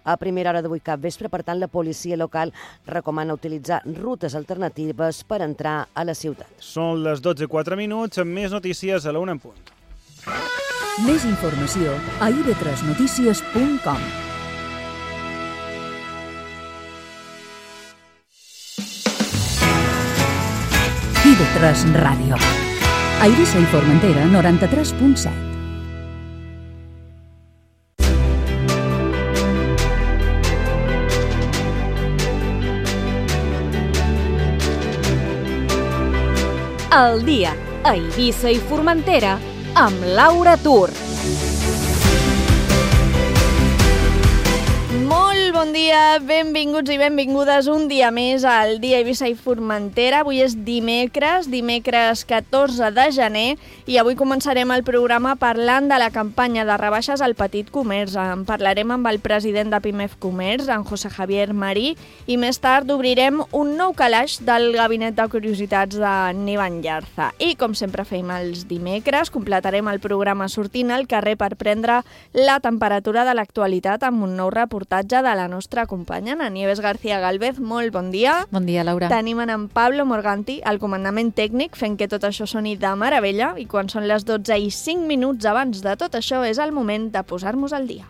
a primera hora d'avui capvespre. Per tant, la policia local recomana utilitzar rutes alternatives per entrar a la ciutat. Són les 12:04, amb més notícies a la 1 en punt. Més informació a ib3notícies.com. IB3 Ràdio. A Eivissa i Formentera, 93.7. El dia a Eivissa i Formentera amb Laura Tur. Molt bon dia, benvinguts i benvingudes un dia més al dia Eivissa i Formentera. Avui és dimecres 14 de gener, i avui començarem el programa parlant de la campanya de rebaixes al petit comerç. En parlarem amb el president de Pimef Comerç, en José Javier Marí, i més tard obrirem un nou calaix del Gabinet de Curiositats de Nivan Llarza. I, com sempre fem els dimecres, completarem el programa sortint al carrer per prendre la temperatura de l'actualitat amb un nou reportatge de la nostra companya, la Nieves García Galvez. Molt bon dia. Bon dia, Laura. Tenim en Pablo Morganti, al comandament tècnic, fent que tot això soni de meravella, i quan són les 12:05 abans de tot això és el moment de posar-nos al dia.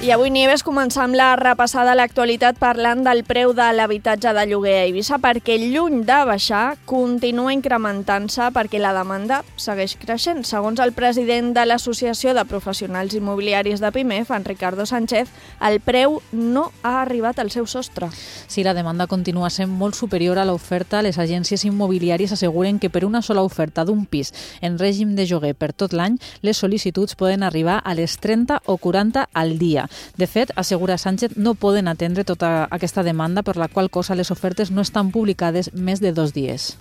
I avui, Nieves, començam la repassada a l'actualitat parlant del preu de l'habitatge de lloguer a Eivissa, perquè lluny de baixar continua incrementant-se perquè la demanda segueix creixent. Segons el president de l'Associació de Professionals Immobiliaris de Pimef, en Ricardo Sánchez, el preu no ha arribat al seu sostre. Sí, la demanda continua sent molt superior a l'oferta. Les agències immobiliàries asseguren que per una sola oferta d'un pis en règim de lloguer per tot l'any, les sol·licituds poden arribar a les 30 o 40 al dia. De fet, assegura Sánchez, no poden atendre tota aquesta demanda, per la qual cosa les ofertes no estan publicades més de 2 días.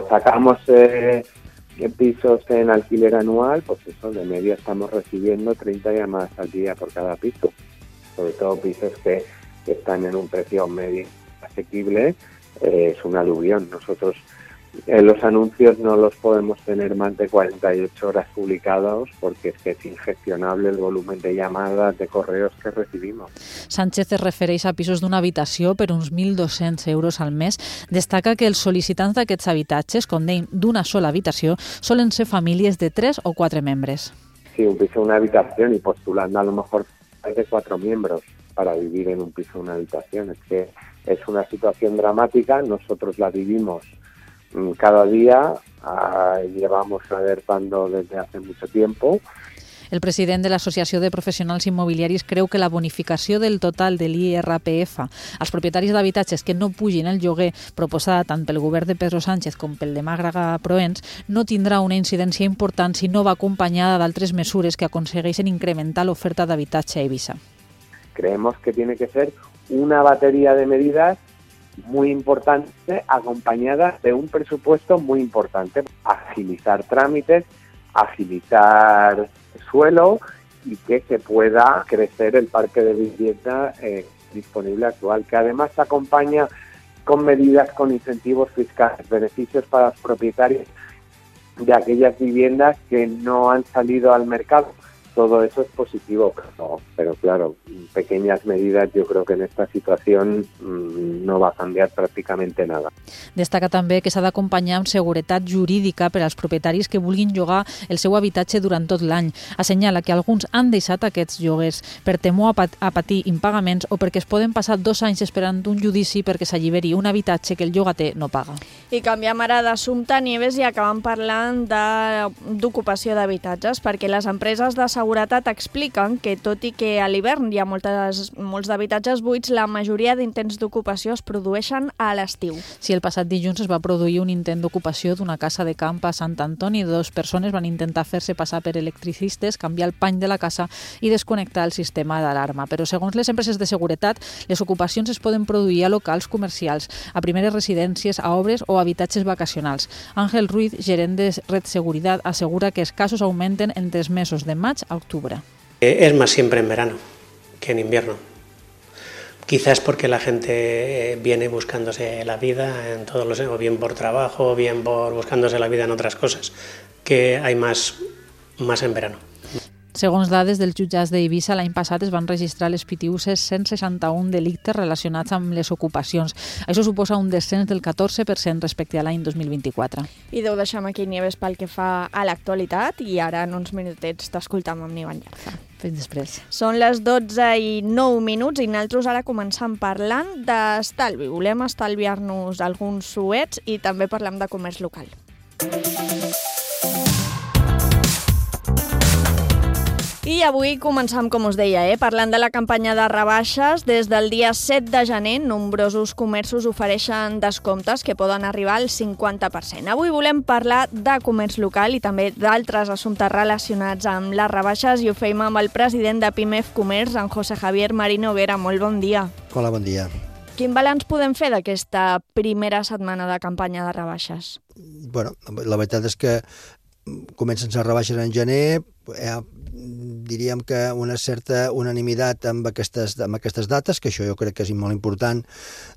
Sacamos pisos en alquiler anual, pues eso, de media estamos recibiendo 30 llamadas al día por cada piso. Sobre todo pisos que están en un precio medio asequible, es un aluvión. Nosotros los anuncios no los podemos tener más de 48 horas publicados porque es que es ingestionable el volumen de llamadas, de correos que recibimos. Sánchez es refereix a pisos d'una habitació per uns 1.200 euros al mes. Destaca que els sol·licitants d'aquests habitatges, com dèiem, d'una sola habitació, solen ser famílies de 3 o 4 membres. Sí, un piso, una habitación, y postulando a lo mejor hay de 4 miembros para vivir en un piso, una habitación. Es que es una situación dramática, nosotros la vivimos cada día, llevamos alertando desde hace mucho tiempo. El president de l'Associació de Professionals Immobiliaris creu que la bonificació del total de l'IRPF als propietaris d'habitatges que no pugin el lloguer, proposada tant pel govern de Pedro Sánchez com pel de Màlaga Proens, no tindrà una incidència important si no va acompanyada d'altres mesures que aconsegueixen incrementar l'oferta d'habitatge a Eivissa. Creemos que tiene que ser una batería de medidas muy importante, acompañada de un presupuesto muy importante. Agilizar trámites, agilizar suelo y que se pueda crecer el parque de vivienda disponible actual, que además se acompaña con medidas, con incentivos fiscales, beneficios para los propietarios de aquellas viviendas que no han salido al mercado. Todo eso es positivo, pero claro, pequeñas medidas, yo creo que en esta situación no va a cambiar pràcticament nada. Destaca també que s'ha d'acompanyar amb seguretat jurídica per als propietaris que vulguin llogar el seu habitatge durant tot l'any. Assenyala que alguns han deixat aquests lloguers per temor a patir impagaments o perquè es poden passar 2 anys esperant un judici perquè s'alliberi un habitatge que el llogater no paga. I canviem ara d'assumpte, Nieves, i acabem parlant d'ocupació d'habitatges, perquè les empreses de seguretat expliquen que, tot i que a l'hivern hi ha molts d'habitatges buits, la majoria d'intents d'ocupació es produeixen a l'estiu. Sí, el passat dilluns es va produir un intent d'ocupació d'una casa de camp a Sant Antoni. 2 persones van intentar fer-se passar per electricistes, canviar el pany de la casa i desconnectar el sistema d'alarma. Però segons les empreses de seguretat, les ocupacions es poden produir a locals comercials, a primeres residències, a obres o habitatges vacacionals. Ángel Ruiz, gerent de Red Seguridad, asegura que els casos augmenten entre els mesos de maig a octubre. Es más siempre en verano que en invierno. Quizás porque la gente viene buscándose la vida en todos los, o bien por trabajo, o bien por buscándose la vida en otras cosas, que hay más en verano. Segons dades dels jutjats d'Eivissa, l'any passat es van registrar a les Pitiüses 161 delictes relacionats amb les ocupacions. Això suposa un descens del 14% respecte a l'any 2024. I deu deixar aquí Nieves pel que fa a l'actualitat i ara en uns minutets t'escoltam amb Nivan Llarza. Fins després. Són les 12:09 i nosaltres ara començam parlant d'estalvi. Volem estalviar-nos alguns suets i també parlem de comerç local. I avui començam, com us deia, parlant de la campanya de rebaixes. Des del dia 7 de gener, nombrosos comerços ofereixen descomptes que poden arribar al 50%. Avui volem parlar de comerç local i també d'altres assumptes relacionats amb les rebaixes i ho feim amb el president de PIMEF Comerç, en José Javier Marino Vera. Molt bon dia. Hola, bon dia. Quin balanç podem fer d'aquesta primera setmana de campanya de rebaixes? Bueno, la veritat és que comencen les rebaixes en gener, diríem que una certa unanimitat amb aquestes dates, que això jo crec que és molt important,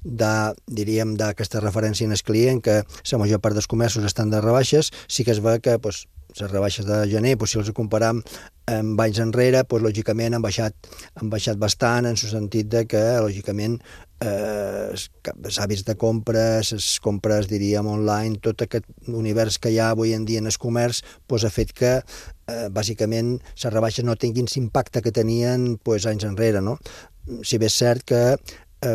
diríem d'aquesta referència en el client, que la major part dels comerços estan de rebaixes. Sí que es veu que les rebaixes de gener, si els comparam amb anys enrere, lògicament han baixat bastant, en el sentit que, lògicament, els hàbits de compres, les compres, diríem, online, tot aquest univers que hi ha avui en dia en el comerç, ha fet que, bàsicament, les rebaixes no tinguin l'impacte que tenien anys enrere, no? Si bé és cert que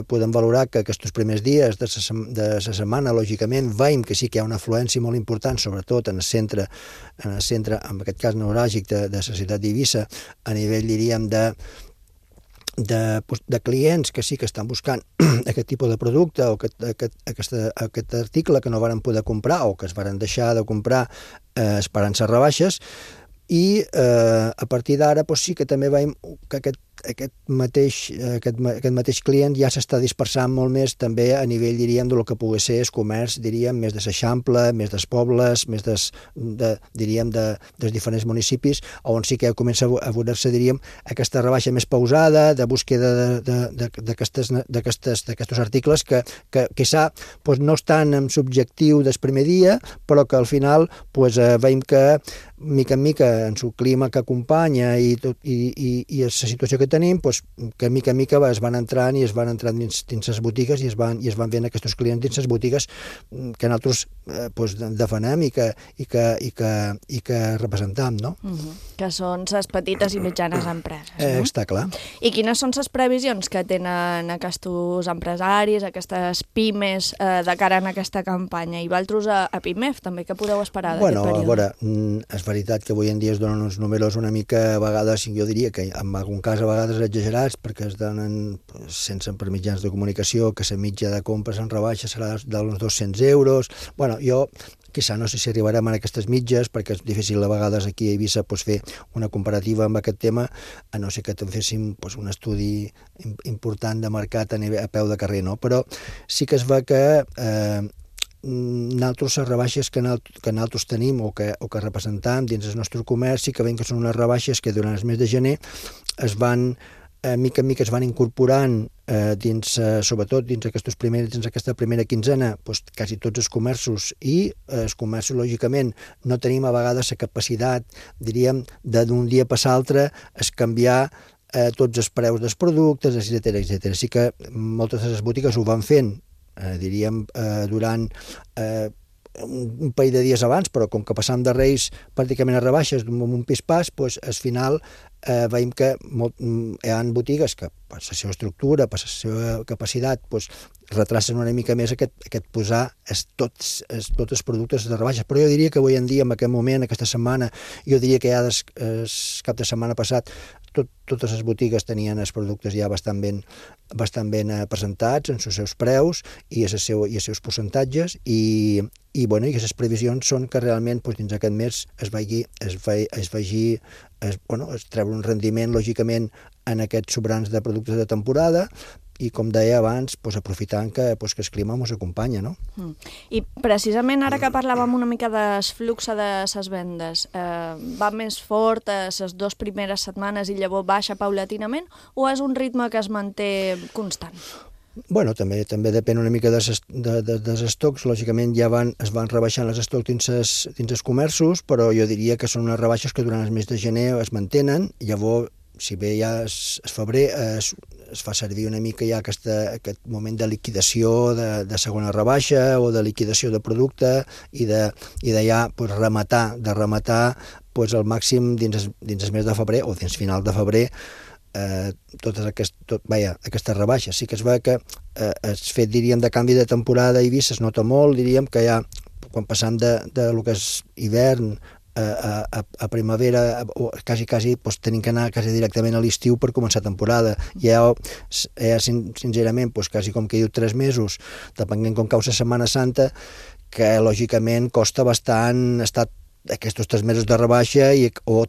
podem valorar que aquests primers dies de la setmana, lògicament, veiem que sí que hi ha una afluència molt important, sobretot en el centre, en aquest cas neuràlgic de la ciutat d'Eivissa, a nivell, diríem, de clients que sí que estan buscant aquest tipus de producte o aquest article que no varen poder comprar o que es varen deixar de comprar esperant les rebaixes. I a partir d'ara sí que també veiem que aquest mateix client ja s'està dispersant molt més també a nivell, diríem, del que pugui ser el comerç, diríem, més de l'Eixample, més dels pobles, més dels diferents municipis, on sí que comença a veure-se, diríem, aquesta rebaixa més pausada, de búsqueda d'aquests articles que quizà no estan en l'objectiu del primer dia, però que al final veiem que mica en mica en el clima que acompanya i la situació que tenim, que mica en mica es van entrant dins les botigues i es van veient aquests clients dins les botigues que nosaltres defenem i que representam, no? Que són les petites i mitjanes empreses, no? Està clar. I quines són les previsions que tenen aquests empresaris, aquestes pimes, de cara a aquesta campanya? I vosaltres a PIMEF també, què podeu esperar d'aquest període? A veure, és veritat que avui en dia es donen uns números una mica, a vegades, jo diria que en algun cas a vegades exagerats, perquè es donen, sense per mitjans de comunicació, que la mitja de compres en rebaixa serà d'uns 200 euros. Bueno, jo quizà no sé si arribarem a aquestes mitges, perquè és difícil a vegades aquí a Eivissa fer una comparativa amb aquest tema, a no ser que féssim un estudi important de mercat a peu de carrer, no? Però sí que es va que nosaltres les rebaixes que nosaltres tenim o que representam dins el nostre comerç sí que veiem que són unes rebaixes que durant el mes de gener es van mica en mica es van incorporant sobretot dins aquesta primera quinzena, quasi tots els comerços, i els comerços, lògicament, no tenim a vegades la capacitat, diríem, d'un dia per l'altre es canviar tots els preus dels productes, etc. Sí que moltes de les botigues ho van fent, diríem, durant un parell de dies abans, però com que passam de Reis pràcticament a rebaixes amb un pis-pas, al final veiem que hi ha botigues que per la seva estructura, per la seva capacitat, retracen una mica més aquest posar tots els productes de rebaixes. Però jo diria que avui en dia, en aquest moment, aquesta setmana, jo diria que ja el cap de setmana passat totes les botigues tenien els productes ja bastant ben presentats en els seus preus i els seus percentatges i les previsions són que realment dins d'aquest mes es treure un rendiment, lògicament, en aquests sobrants de productes de temporada i com deia abans, aprofitant que el clima ens acompanya, no? I precisament ara que parlàvem una mica del flux de les vendes, va més fort les 2 primeres setmanes i llavors baixa paulatinament, o és un ritme que es manté constant? Bueno, també depèn una mica dels estocs. Lògicament es van rebaixant els estocs dins els comerços, però jo diria que són unes rebaixes que durant el mes de gener es mantenen. Llavors, si bé ja es febrer, es fa servir una mica ja aquest moment de liquidació de segona rebaixa o de liquidació de producte i de ja rematar al màxim dins el mes de febrer o dins final de febrer totes aquestes rebaixes. Sí que es veu que el fet, diríem, de canvi de temporada a Eivissa es nota molt, diríem que ja quan passam de lo que és hivern a primavera, o quasi tenim que anar quasi directament a l'estiu per començar temporada. Ja sincerament, quasi com que diu 3 mesos, depenent com cau la Setmana Santa, que lògicament costa bastant estar aquests 3 mesos de rebaixa o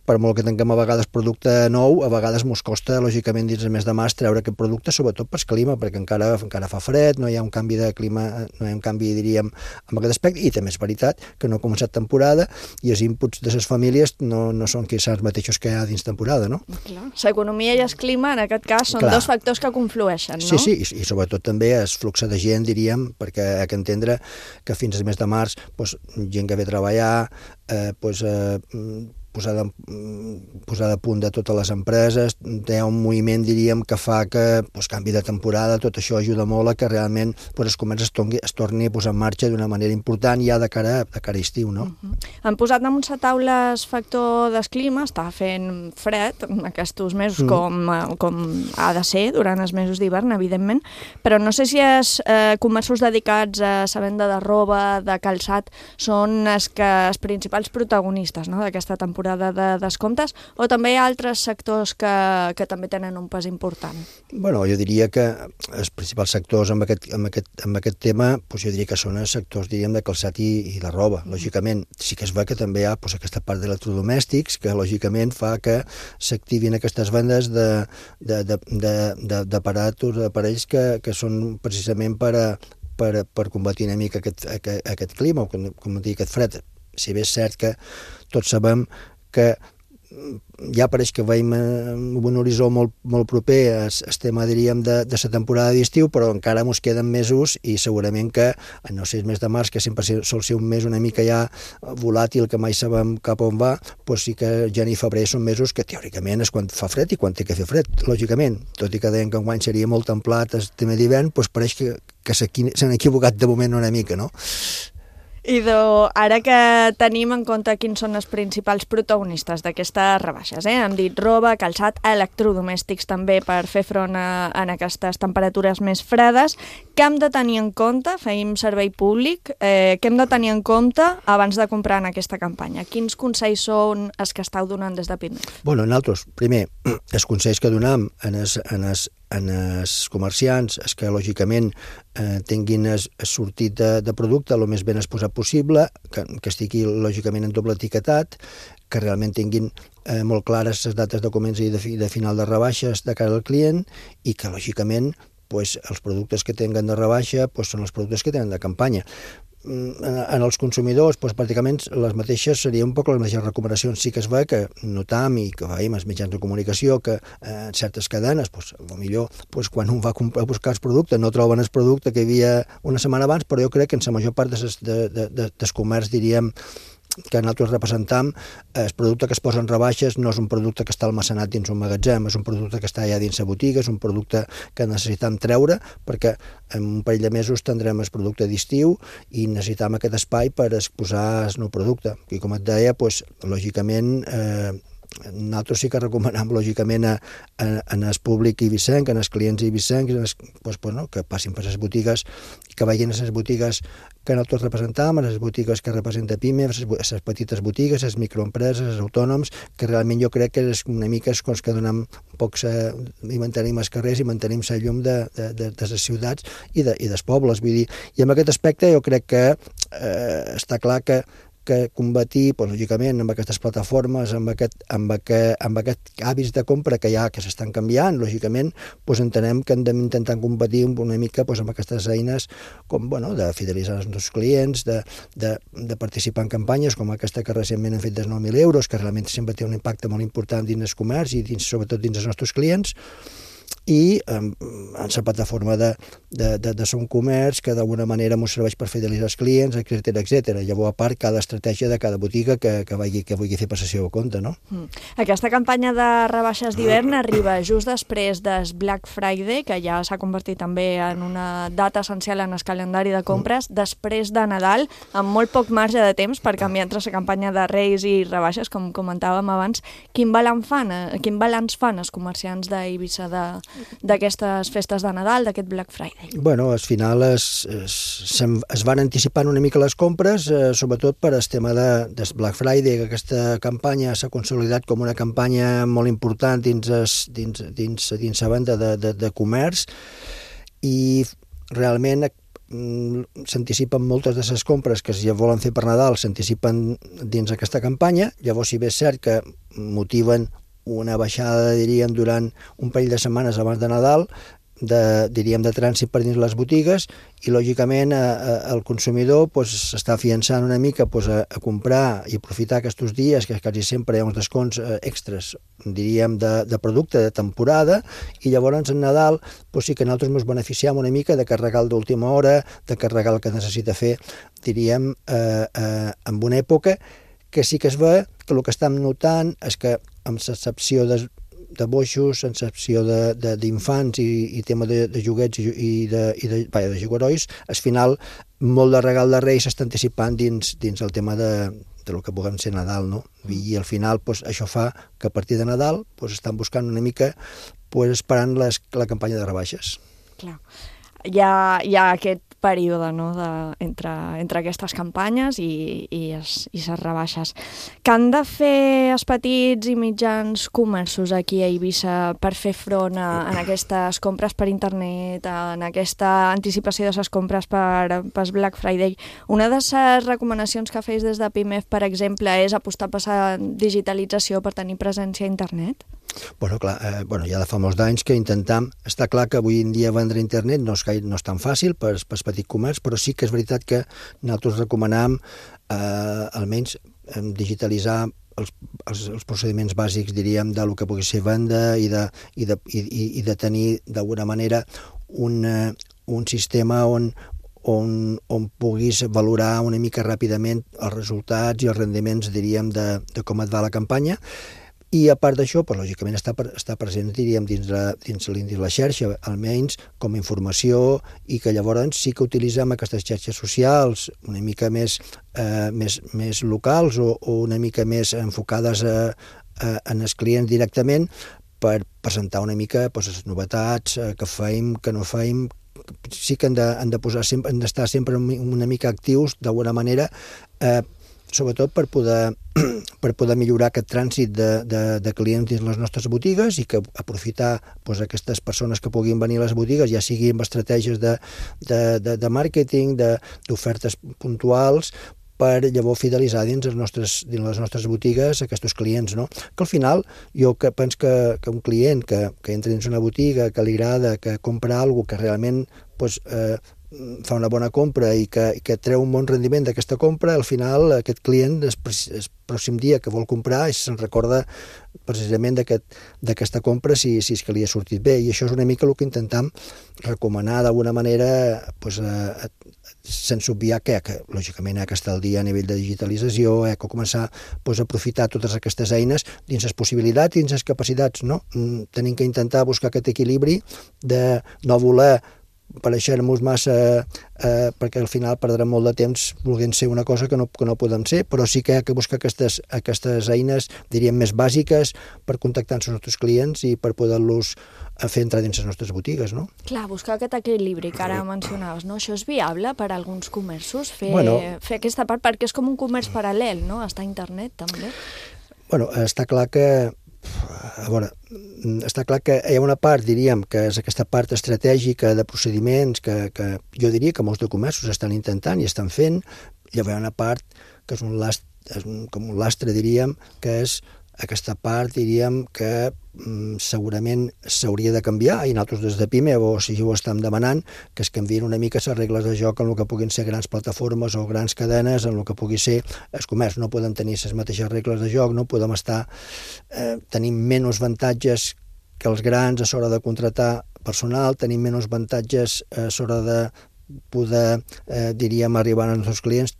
per molt que tinguem a vegades producte nou, a vegades ens costa, lògicament, dins el mes de març treure aquest producte, sobretot pel clima, perquè encara fa fred, no hi ha un canvi de clima, no hi ha un canvi, diríem, en aquest aspecte, i també és veritat que no ha començat temporada i els inputs de les famílies no són els mateixos que hi ha dins temporada, no? Clar. L'economia i el clima, en aquest cas, són dos factors que conflueixen, no? Sí, i sobretot també el flux de gent, diríem, perquè hi ha que entendre que fins al mes de març, gent que ve a treballar, posada a punt de totes les empreses, hi ha un moviment, diríem, que fa que canvi de temporada, tot això ajuda molt a que realment el comerç es torni a posar en marxa d'una manera important ja de cara a estiu, no? Han posat damunt la taula el factor del clima, està fent fred aquests mesos com ha de ser durant els mesos d'hivern, evidentment, però no sé si els comerços dedicats a la venda de roba, de calçat, són els principals protagonistes d'aquesta temporada de descomptes, o també hi ha altres sectors que també tenen un pes important? Bueno, jo diria que els principals sectors amb aquest tema, jo diria que són els sectors, diríem, de calçat i de roba. Lògicament, sí que es veu que també hi ha aquesta part d'electrodomèstics que, lògicament, fa que s'activin aquestes vendes d'aparells que són precisament per combatir una mica aquest clima, o com dir, aquest fred. Si bé és cert que tots sabem que ja pareix que veiem un horitzó molt proper al tema, diríem, de la temporada d'estiu, però encara ens queden mesos i segurament que, no sé, el mes de març, que sempre sol ser un mes una mica ja volàtil, que mai sabem cap on va, sí que gener i febrer són mesos que teòricament és quan fa fred i quan té que fer fred, lògicament. Tot i que deien que enguany seria molt templat el tema d'hivern, pareix que s'han equivocat de moment una mica, no? Idò, ara que tenim en compte quins són els principals protagonistes d'aquestes rebaixes, hem dit roba, calçat, electrodomèstics també per fer front a aquestes temperatures més fredes, què hem de tenir en compte, feim servei públic, què hem de tenir en compte abans de comprar en aquesta campanya? Quins consells són els que esteu donant des de PIMEF? Bueno, nosaltres, primer, els consells que donem en els comerciants és que, lògicament, tinguin el sortit de producte el més ben exposat possible, que estigui, lògicament, en doble etiquetat, que realment tinguin molt clares les dates de comença i de final de rebaixes de cara al client i que, lògicament, els productes que tenen de rebaixa són els productes que tenen de campanya. En els consumidors, pràcticament les mateixes serien un poc les mateixes recomanacions. Sí que es veu que notam i que veiem als mitjans de comunicació que en certes cadenes, potser quan un va a buscar el producte no troben el producte que hi havia una setmana abans, però jo crec que en la major part del comerç, diríem, que nosaltres representam, el producte que es posa en rebaixes no és un producte que està almacenat dins un magatzem, és un producte que està allà dins la botiga, és un producte que necessitam treure perquè en un parell de mesos tindrem el producte d'estiu i necessitam aquest espai per exposar el nou producte. I com et deia, lògicament, nosaltres sí que recomanem, lògicament, en el públic eivissenc, en els clients eivissencs, que passin per les botigues, que vagin a les botigues que nosaltres representam, a les botigues que representa PIMEF, les petites botigues, les microempreses, els autònoms, que realment jo crec que és una mica els que donem un poc i mantenim els carrers i mantenim la llum de les ciutats i dels pobles. Vull dir, i en aquest aspecte jo crec que està clar que que combatir, doncs, lògicament, amb aquestes plataformes, amb aquest hàbits de compra que hi ha, que s'estan canviant, lògicament, doncs entenem que hem d'intentar competir una mica doncs, amb aquestes eines com, bueno, de fidelitzar els nostres clients, de participar en campanyes com aquesta que recentment hem fet dels 9.000 euros, que realment sempre té un impacte molt important dins el comerç i sobretot dins els nostres clients, i en la plataforma de Som Comerç, que d'alguna manera ens serveix per fidelitzar els clients, etc. Llavors, a part, cada estratègia de cada botiga que vulgui fer per la seva compte, no? Aquesta campanya de rebaixes d'hivern arriba just després del Black Friday, que ja s'ha convertit també en una data essencial en el calendari de compres, després de Nadal, amb molt poc marge de temps per canviar entre la campanya de Reis i rebaixes, com comentàvem abans. Quin balanç fan els comerciants d'Eivissa d'aquestes festes de Nadal, d'aquest Black Friday? Bueno, al final es van anticipant una mica les compres, sobretot per el tema del Black Friday, que aquesta campanya s'ha consolidat com una campanya molt important dins la venda de comerç, i realment s'anticipen moltes de les compres que ja volen fer per Nadal, s'anticipen dins aquesta campanya. Llavors, si bé és cert que motiven una baixada, diríem, durant un parell de setmanes abans de Nadal, de trànsit per dins les botigues, i lògicament el consumidor s'està afiançant una mica a comprar i aprofitar aquests dies, que quasi sempre hi ha uns desconts extras, diríem, de producte de temporada, i llavors en Nadal sí que nosaltres ens beneficiem una mica de carregar d'última hora, de carregar el que necessita fer, diríem, en una època que sí que es ve que el que estem notant és que amb l'excepció de boixos, amb l'excepció d'infants i tema de joguets i de jugarois, al final molt de regal de Reis s'està anticipant dins el tema de lo que puguem ser Nadal, no? I al final això fa que a partir de Nadal estan buscant una mica esperant la campanya de rebaixes. Clar. Hi ha aquest període, no?, entre aquestes campanyes i les rebaixes. Què han de fer els petits i mitjans comerços aquí a Eivissa per fer front a aquestes compres per internet, en aquesta anticipació de les compres per Black Friday? Una de les recomanacions que feu des de PIMEF, per exemple, és apostar per la digitalització per tenir presència a internet? Bueno, clar, ja de fa molts anys que intentem... Està clar que avui en dia vendre a internet no és tan fàcil per petit comerç, però sí que és veritat que nosaltres recomanem almenys digitalitzar els procediments bàsics, diríem, del que pugui ser venda i de tenir d'alguna manera un sistema on puguis valorar una mica ràpidament els resultats i els rendiments, diríem, de com et va la campanya. I a part d'això, lògicament està present, diríem, dins la xarxa, almenys com a informació, i que llavors sí que utilitzem aquestes xarxes socials una mica més locals o una mica més enfocades en els clients directament, per presentar una mica les novetats que feim, que no feim. Sí que han d'estar sempre una mica actius, d'alguna manera, sobretot per poder millorar aquest trànsit de clients dins les nostres botigues, i que aprofitar aquestes persones que puguin venir a les botigues, ja sigui amb estratègies de màrqueting, d'ofertes puntuals, per llavors fidelitzar dins les nostres botigues aquests clients, no? Que al final jo penso que un client que entra dins una botiga, que li agrada, que compra alguna cosa que realment fa una bona compra i que treu un bon rendiment d'aquesta compra, al final aquest client el pròxim dia que vol comprar se'n recorda precisament d'aquesta compra si és que li ha sortit bé, i això és una mica el que intentem recomanar d'alguna manera, sense obviar que lògicament que està al dia a nivell de digitalització, que començar a aprofitar totes aquestes eines dins les possibilitats, dins les capacitats, no? Tenim que intentar buscar aquest equilibri de no voler pareixer-nos massa, perquè al final perdrem molt de temps volent ser una cosa que no podem ser, però sí que hi ha que buscar aquestes eines, diríem, més bàsiques per contactar amb els nostres clients i per poder-los fer entrar dins les nostres botigues, no? Clar, buscar aquest equilibri que ara mencionaves, no? Això és viable per a alguns comerços, fer aquesta part, perquè és com un comerç paral·lel, no? Està a internet, també. Bueno, està clar que hi ha una part, diríem, que és aquesta part estratègica de procediments que jo diria que molts de comerços estan intentant i estan fent, Llavors hi ha una part que és com un lastre, diríem, que és aquesta part, diríem, que segurament s'hauria de canviar, i nosaltres des de PIME si ho estem demanant, que es canvien una mica les regles de joc en el que puguin ser grans plataformes o grans cadenes, en el que pugui ser el comerç. No podem tenir les mateixes regles de joc, no podem estar tenint menys avantatges que els grans a l'hora de contratar personal, tenim menys avantatges a l'hora de poder, diríem, arribar als nostres clients.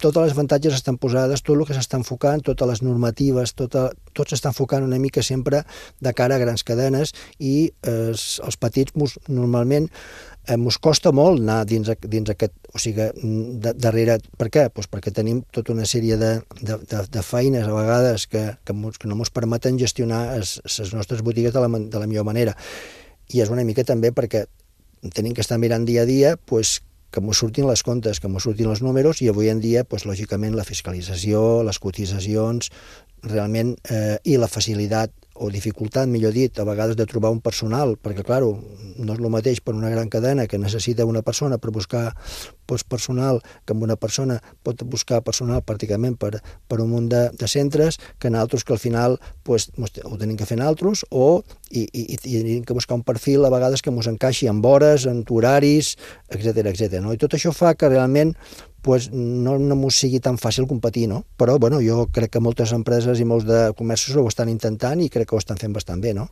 Totes les avantatges estan posades, tot el que s'està enfocant, totes les normatives, tot s'està enfocant una mica sempre de cara a grans cadenes, i els petits normalment ens costa molt anar dins aquest, o sigui, darrere. Per què? Doncs perquè tenim tota una sèrie de feines a vegades que no ens permeten gestionar les nostres botigues de la millor manera. I és una mica també perquè tenim que estar mirant dia a dia que ens surtin les comptes, que ens surtin els números, i avui en dia, lògicament, la fiscalització, les cotitzacions, realment, i la facilitat o dificultat, millor dit, a vegades de trobar un personal, perquè, clar, no és el mateix per una gran cadena que necessita una persona per buscar personal, que amb una persona pot buscar personal pràcticament per un munt de centres, que nosaltres que al final ho tenim que fer nosaltres, i tenim que buscar un perfil a vegades que ens encaixi amb hores, amb horaris, etc. I tot això fa que realment no ens sigui tan fàcil competir, no? Però jo crec que moltes empreses i molts de comerços ho estan intentant i crec que ho estan fent bastant bé, no?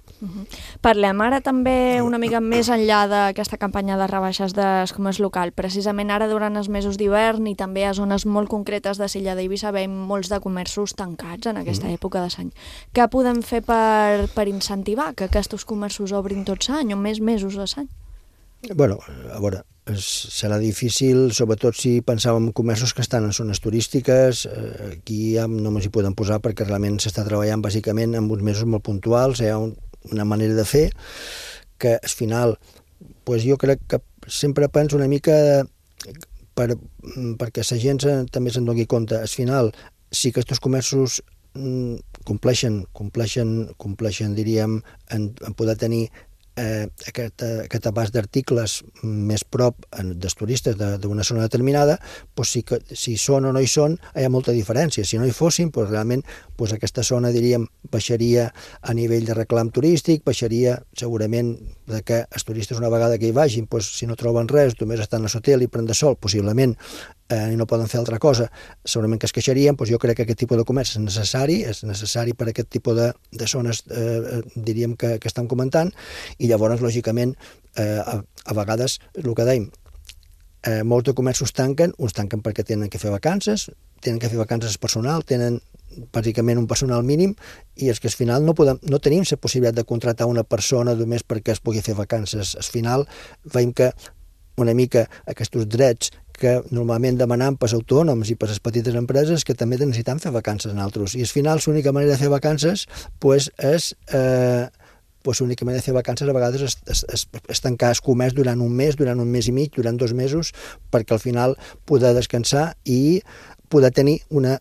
Parlem ara també una mica més enllà d'aquesta campanya de rebaixes del comerç local. Precisament ara, durant els mesos d'hivern i també a zones molt concretes de Silla d'Eivissa, veiem molts de comerços tancats en aquesta època de l'any. Què podem fer per incentivar que aquests comerços obrin tots l'any o més mesos de l'any? A veure, serà difícil, sobretot si pensàvem en comerços que estan en zones turístiques. Aquí ja no ens hi podem posar perquè realment s'està treballant bàsicament en uns mesos molt puntuals. Hi ha una manera de fer que al final, jo crec que sempre penso una mica perquè la gent també se'n doni compte. Al final, si aquests comerços compleixen, diríem, en poder tenir aquest abast d'articles més prop dels turistes d'una zona determinada, si són o no hi són, hi ha molta diferència. Si no hi fossin, realment aquesta zona, diríem, baixaria a nivell de reclam turístic, baixaria segurament que els turistes una vegada que hi vagin, si no troben res, només estan a l'hotel i prenen sol, possiblement, i no poden fer altra cosa, segurament que es queixarien. Jo crec que aquest tipus de comerç és necessari per aquest tipus de zones, diríem, que estan comentant, i llavors, lògicament, a vegades, el que dèiem, molts de comerços tanquen, uns tanquen perquè tenen que fer vacances personal, tenen bàsicament un personal mínim, i és que al final no tenim la possibilitat de contratar una persona només perquè es pugui fer vacances. Al final veiem que una mica aquests drets que normalment demanam per als autònoms i per a les petites empreses, que també necessitem fer vacances nosaltres. I al final l'única manera de fer vacances l'única manera de fer vacances a vegades és tancar el comerç durant un mes i mig, durant 2 mesos, perquè al final poder descansar i poder tenir una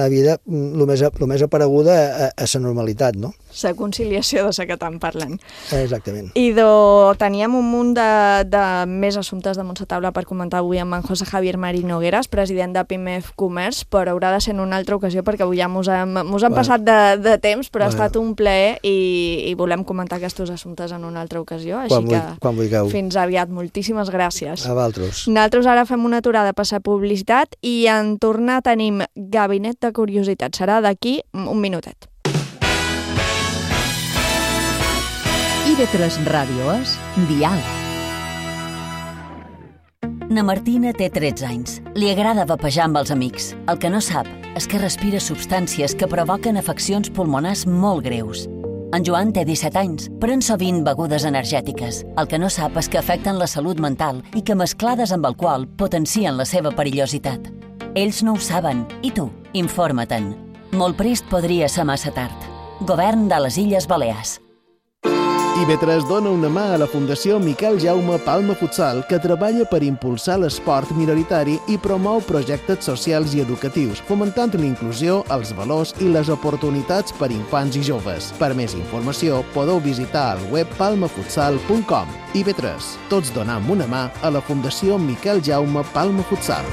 vida el més apareguda a la normalitat, no? La conciliació de la que estan parlant. Exactament. I teníem un munt de més assumptes damunt la taula per comentar avui amb en José Javier Marín Nogueras, president de PIMEF Comerç, però haurà de ser en una altra ocasió perquè avui ja mos hem passat de temps, però ha estat un plaer i volem comentar aquests assumptes en una altra ocasió, així que fins aviat. Moltíssimes gràcies. A vosaltres. Nosaltres ara fem una aturada per la publicitat i en tornar tenim Gabinet de Curiositats. Serà d'aquí un minutet. IB3 Ràdio és Dial. Na Martina té 13 anys. Li agrada vapejar amb els amics. El que no sap és que respira substàncies que provoquen afeccions pulmonars molt greus. En Joan té 17 anys, pren sovint begudes energètiques. El que no sap és que afecten la salut mental i que mesclades amb alcohol potencien la seva perillositat. Ells no ho saben, i tu, informa-te'n. Molt prest podria ser massa tard. Govern de les Illes Balears. IB3 dona una mà a la Fundació Miquel Jaume Palma Futsal, que treballa per impulsar l'esport minoritari i promou projectes socials i educatius, fomentant la inclusió, els valors i les oportunitats per infants i joves. Per més informació, podeu visitar el web palmafutsal.com. IB3, tots donam una mà a la Fundació Miquel Jaume Palma Futsal.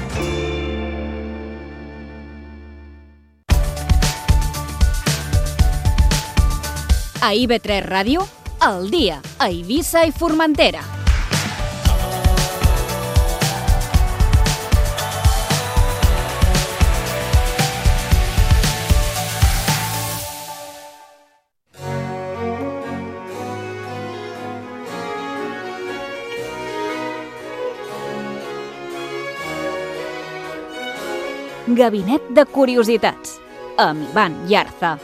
A IB3 Ràdio, al dia, a Eivissa i Formentera. Gabinet de Curiositats, amb Ivan Yarza.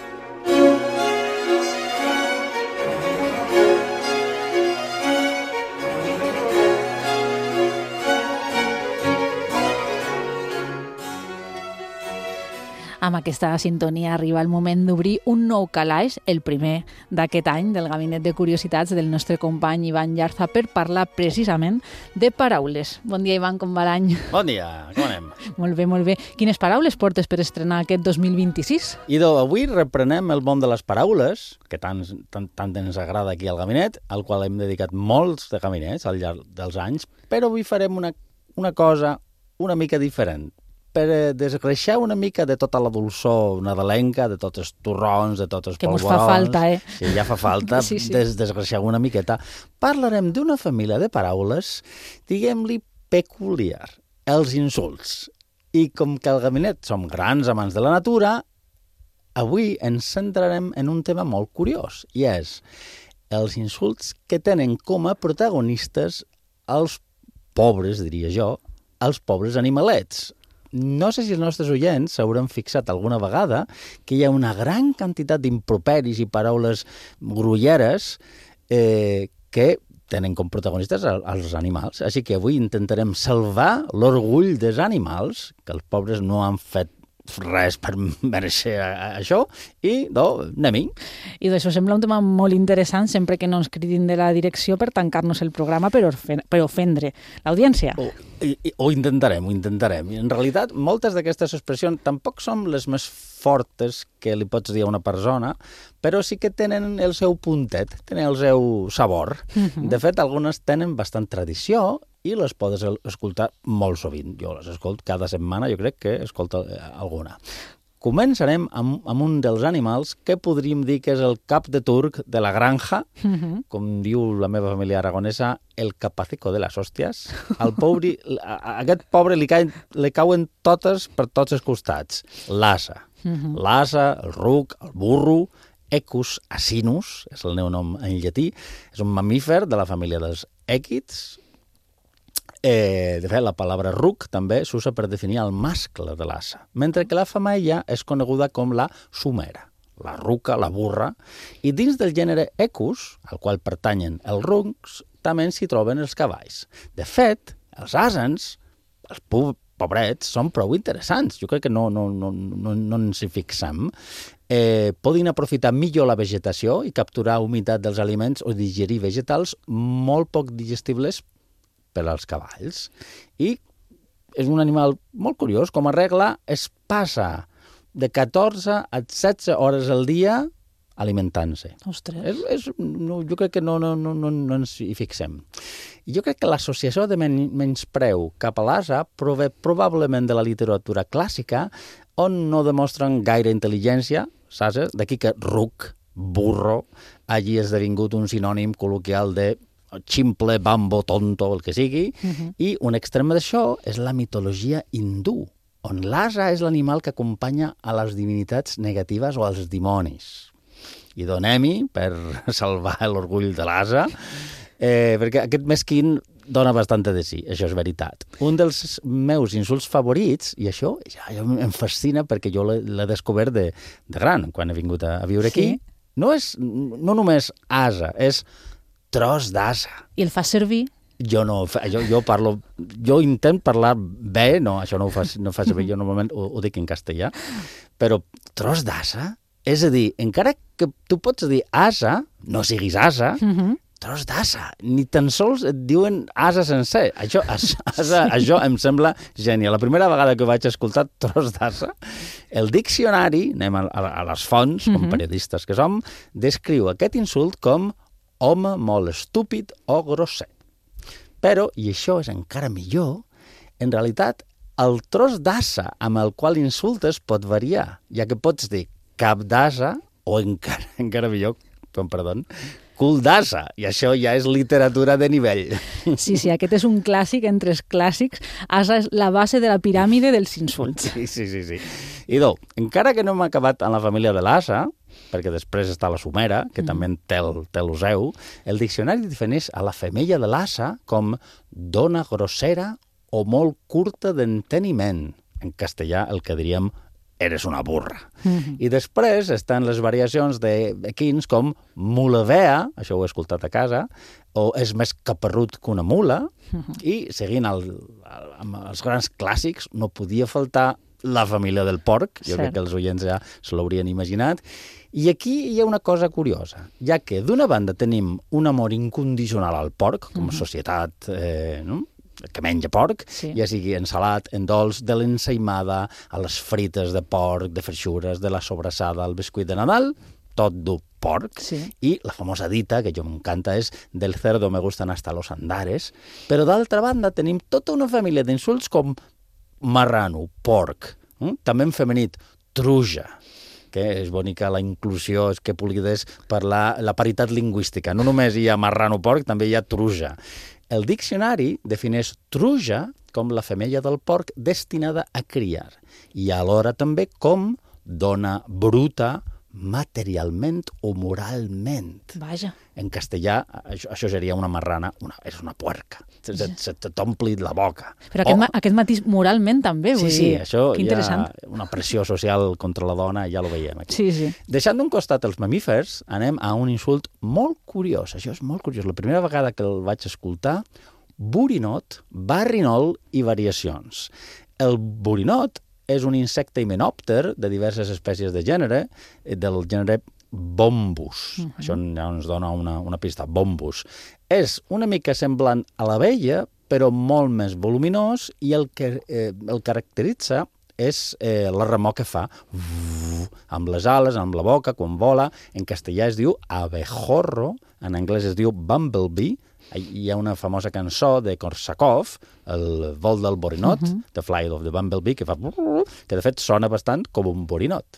Amb aquesta sintonia arriba el moment d'obrir un nou calaix, el primer d'aquest any del Gabinet de Curiositats del nostre company Ivan Yarza, per parlar precisament de paraules. Bon dia, Ivan, com va l'any? Bon dia, com anem? Molt bé, molt bé. Quines paraules portes per estrenar aquest 2026? Idò, avui reprenem el món de les paraules, que tant ens agrada aquí al gabinet, al qual hem dedicat molts de gabinets al llarg dels anys, però avui farem una cosa una mica diferent, per desgreixar una mica de tota la dolçor nadalenca, de tots els torrons, de tots els polvorons. Que mos fa falta, eh? Sí, ja fa falta sí. Desgreixar una miqueta. Parlarem d'una família de paraules, diguem-li peculiar, els insults. I com que al gabinet som grans amants de la natura, avui ens centrarem en un tema molt curiós, i és els insults que tenen com a protagonistes els pobres, diria jo, els pobres animalets. No sé si els nostres oients s'hauran fixat alguna vegada que hi ha una gran quantitat d'improperis i paraules grolleres que tenen com protagonistes els animals. Així que avui intentarem salvar l'orgull dels animals, que els pobres no han fet res per mereixer això, i anem-hi. I d'això sembla un tema molt interessant, sempre que no ens cridin de la direcció per tancar-nos el programa per ofendre l'audiència. Ho intentarem. En realitat, moltes d'aquestes expressions tampoc són les més fortes que li pots dir a una persona, però sí que tenen el seu puntet, tenen el seu sabor. De fet, algunes tenen bastant tradició i les podes escoltar molt sovint. Jo les escolto cada setmana, jo crec que escolto alguna. Començarem amb un dels animals que podríem dir que és el cap de turc de la granja, com diu la meva família aragonesa, el capacico de les hòsties. A aquest pobre li cauen totes per tots els costats. L'ase. L'ase, el ruc, el burro, Equus asinus, és el meu nom en llatí, és un mamífer de la família dels èquids. De fet, la paraula ruc també s'usa per definir el mascle de l'ase, mentre que la femella és coneguda com la sumera, la ruca, la burra, i dins del gènere Equus, al qual pertanyen els rucs, també s'hi troben els cavalls. De fet, els asens, els pobrets, són prou interessants. Jo crec que no ens hi fixem. Poden aprofitar millor la vegetació i capturar humitat dels aliments o digerir vegetals molt poc digestibles per als cavalls. I és un animal molt curiós. Com a regla, es passa de 14 a 16 hores al dia alimentant-se. Ostres. Jo crec que no ens hi fixem. Jo crec que l'associació de menyspreu cap a l'ase prové probablement de la literatura clàssica, on no demostren gaire intel·ligència, saps? D'aquí que ruc, burro, hagi esdevingut un sinònim col·loquial de ximple, bambo, tonto, el que sigui, i un extrem d'això és la mitologia hindú, on l'ase és l'animal que acompanya a les divinitats negatives o als dimonis. I donem-hi per salvar l'orgull de l'ase, perquè aquest mesquín dona bastant de si, això és veritat. Un dels meus insults favorits, i això ja em fascina perquè jo l'he descobert de gran, quan he vingut a viure aquí, no només ase, és tros d'ase. I el fas servir? Jo intento parlar bé, no, això no ho faig bé, jo normalment ho dic en castellà, però tros d'ase, és a dir, encara que tu pots dir ase, no siguis ase, tros d'ase, ni tan sols et diuen ase sencer. Això em sembla genial. La primera vegada que vaig escoltar tros d'ase, el diccionari, anem a les fonts, com periodistes que som, descriu aquest insult com home molt estúpid o grosser. Però, i això és encara millor, en realitat, el tros d'ase amb el qual insultes pot variar, ja que pots dir cap d'ase o encara millor perdó, cul d'assa, i això ja és literatura de nivell. Sí, aquest és un clàssic entre els clàssics. Asa és la base de la piràmide dels insults. Sí. Idò, encara que no hem acabat en la família de l'asa, perquè després està la sumera, que també té el seu, el diccionari defineix a la femella de l'asa com dona grossera o molt curta d'enteniment. En castellà el que diríem eres una burra. I després estan les variacions d'equins com mulavea, això ho he escoltat a casa, o és més caparrut que una mula, i seguint amb els grans clàssics no podia faltar la família del porc, jo crec que els oients ja se l'haurien imaginat, i aquí hi ha una cosa curiosa, ja que d'una banda tenim un amor incondicional al porc, com a societat, que menja porc, ja sigui en salat, en dolç, de l'ensaïmada, a les frites de porc, de freixures, de la sobrassada, al bescuit de Nadal, tot du porc, i la famosa dita, que jo m'encanta, és del cerdo me gustan hasta los andares, però d'altra banda tenim tota una família d'insults com marrano, porc, també en femenit, truja, que és bonica la inclusió, és que puguis parlar la paritat lingüística. No només hi ha marrano porc, també hi ha truja. El diccionari defineix truja com la femella del porc destinada a criar i alhora també com dona bruta materialment o moralment. Vaja. En castellà, això seria una marrana, és una puerca. Se t'ompli la boca. Però aquest matís moralment també, vull dir. Sí, això que hi interessant. ha una pressió social contra la dona, ja ho veiem aquí. Sí. Deixant d'un costat els mamífers, anem a un insult molt curiós. Això és molt curiós. La primera vegada que el vaig escoltar, borinot, barrinol i variacions. El borinot és un insecte himenòpter de diverses espècies de gènere, del gènere Bombus. Això ja ens dona una pista. Bombus. És una mica semblant a l'abella, però molt més voluminós, i el que el caracteritza és la remor que fa amb les ales, amb la boca, quan vola. En castellà es diu abejorro, en anglès es diu bumblebee. Hi ha una famosa cançó de Korsakov, el vol del borinot, The Flight of the Bumblebee, que de fet sona bastant com un borinot.